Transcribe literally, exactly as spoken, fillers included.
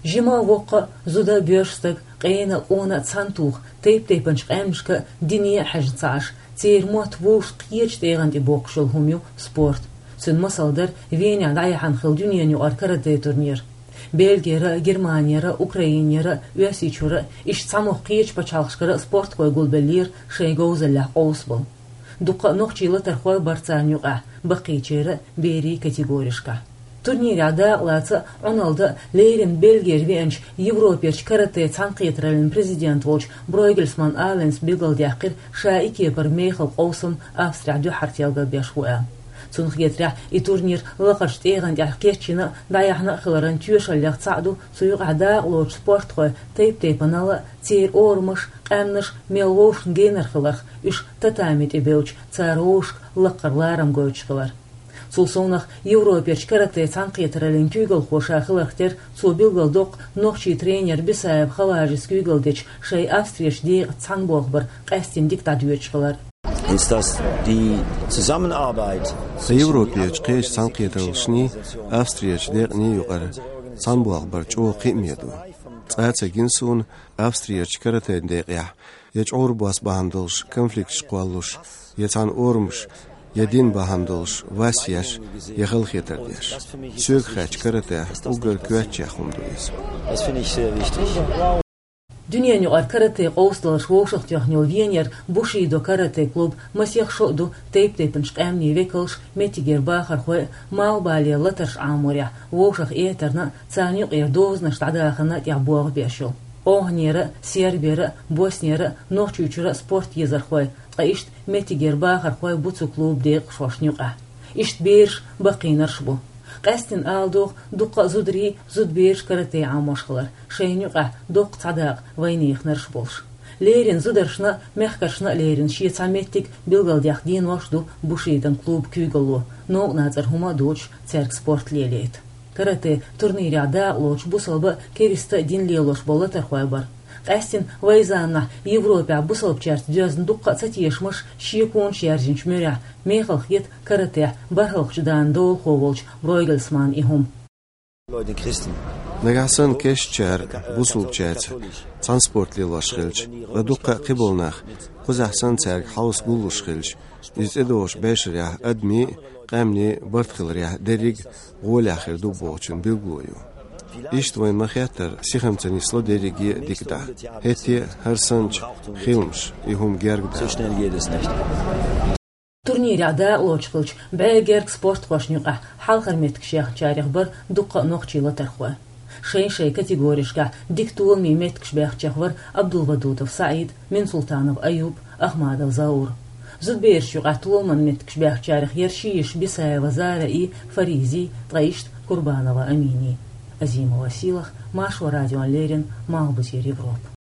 Жима а, воккха а, зуда а, боьрша стаг а, къена а, къона а цхьана тоха, тайп-тайпанчу къаьмнашка а, дине а хьаьжна ца Ӏаш, церан мотт вовшашка кхечу тӀегӀан тӀе боккхуш йолу хӀума ю спорт. Цуьнан масал дара Венехь дӀаяьхьна хилла дуьненан юкъара каратэ турнир. Бельгера а, Германера а, Украинера а, Оьрсийчуьра а, иштта цхьамогӀа кхечу пачхьалкхашкара а спортхой гулбеллера шайн говзаллехь къовсабала. Дуккха а нохчийн латархой бара царна юкъахь, баккхийчеран а, берийн а категоришкахь. Турнирехь дакъалаца а, Ӏуналла дан а леррина Бельгера веанчу Европерчу каратэ цхьаьнакхетараллин президент волчу Бройгельсман Аланс билгалдаьккхира, ша и кепара мехала къовсам Австрехь дуьххьара телгар беш ву аьлла. Цунна хетарехь, и турнир лакхарчу тӀегӀан тӀехь кечйина а, дӀаяьхьна а хиларан тоьшаллех цхьаъ ду цу юкъахь дакъалоцучу спортхойн тайп-тайпанал а, церан орамаш а, къаьмнаш а мел вовшашна генара хиларх, уьш татами тӀе бевлча, цара вовшашка лаккхара ларам гойтуш хилар. Цул совнах, Европерчу каратэ цхьаьнакхетараллин куьйгалхо ша хиларх терра, цо билгалдоккху нохчийн тренер Бисаев Хаважис куьйгалла дечу шайн Австрерчу декъаца цхьаьна болх бар къаьстина дика дӀадоьдуш хилар. Ist das die Zusammenarbeit? Ткъа Европерчу кхечу цхьаьнакхетараллашний, Австрерчу декъаний юкъара цхьаьна болх бар чӀогӀа кхиаме ду. Цкъа а ца гина суна Австрерчу каратэн декъехь я чӀогӀа бос бахьана долуш конфликташ кхоллалуш, я цхьана орамаш, я дин бахьана долуш вас еш, я халахетар деш. Соьга хаьттича, каратехь уггар коьртачех хӀума ду иза. Das finde ich sehr wichtig. Дуьненан юкъара каратэ къовсадаларш вовшахтоьхна йолу Венера Бушидо каратэ клуб масех шо а ду тайп-тайпанчу къаьмнийн векалш, меттигера бахархой а, малхбалера латарш Ӏаморехь, вовшах этарна а, царна юкъара дозанаш дӀадахарна а тӀехь болх беш йолу. ОвхӀанера а, Сербера а, Боснера а, Нохчийчуьра а спорт езархой, ткъа иштта меттигера бахархой бу цу клубан декъашхошна юкъахь. Иштта бераш баккхийнарш а бу. Къаьстина ала догӀу, дуккха а зударий, зудабераш каратэ Ӏамош хилар, шайна юкъахь доккха цхьа дакъа вайнеханарш а болуш. Леррина зударшна а, мехкаршна а леррина шен цхьа меттиг билгалдаьккха денош а ду Бушидон клубан куьйгалло, новкъа нацӀара хӀума а доцуш, цаьрга спорт лелайта. Каратэ турнирехь дакъалоцуш бусалба а, кериста а дин лелош болу латархой бара. Къаьстина вайн заманахь Европехь бусалбачаьрца доьзна дуккха а цатешамаш, шеконаш яьржинчу муьрехь, мехала хета каратехь бархӀалгӀачу дакъан долахо волчу Бройгельсманан и хӀума. Нагахь санна кешнашкара бусалбачаьрца цхьаьна спорт лелош хилча, ткъа дуккха а кхиболу нах, кхузахь санна цаьрга хьовса гуллуш хилча, иза тӀедогӀучу бешарехь адамийн а, къаьмнийн а барт хиларехь дерриг а гӀолехь хир ду бохучун билгало ю. Иштта вайна ма-хеттара сихам ца нисло дерриге а дика дахь. ХӀетте а хӀара санначу хиламаша и хӀума герга даьлла. Турнирехь дакъалоцуш хиллачу бӀе гергга спортхошна юкъахь хьалхара меттигаш яьхначарех бара дуккха а нохчийн латархой. Шайн-шайн категоришкахь дика толамийн меттигаш баьхначех вара Абдулвадудов СаӀид, Минсултанов Аюб, Ахмадов Заур. Зудабераш юкъахь толаман меттигаш баьхначарех яра ши йиша Бисаева Зараи, Фаризи, ткъа иштта Курбанова Амини. Азимова Сийлаха, Маршо радиона леррина, Малхбузера Европа.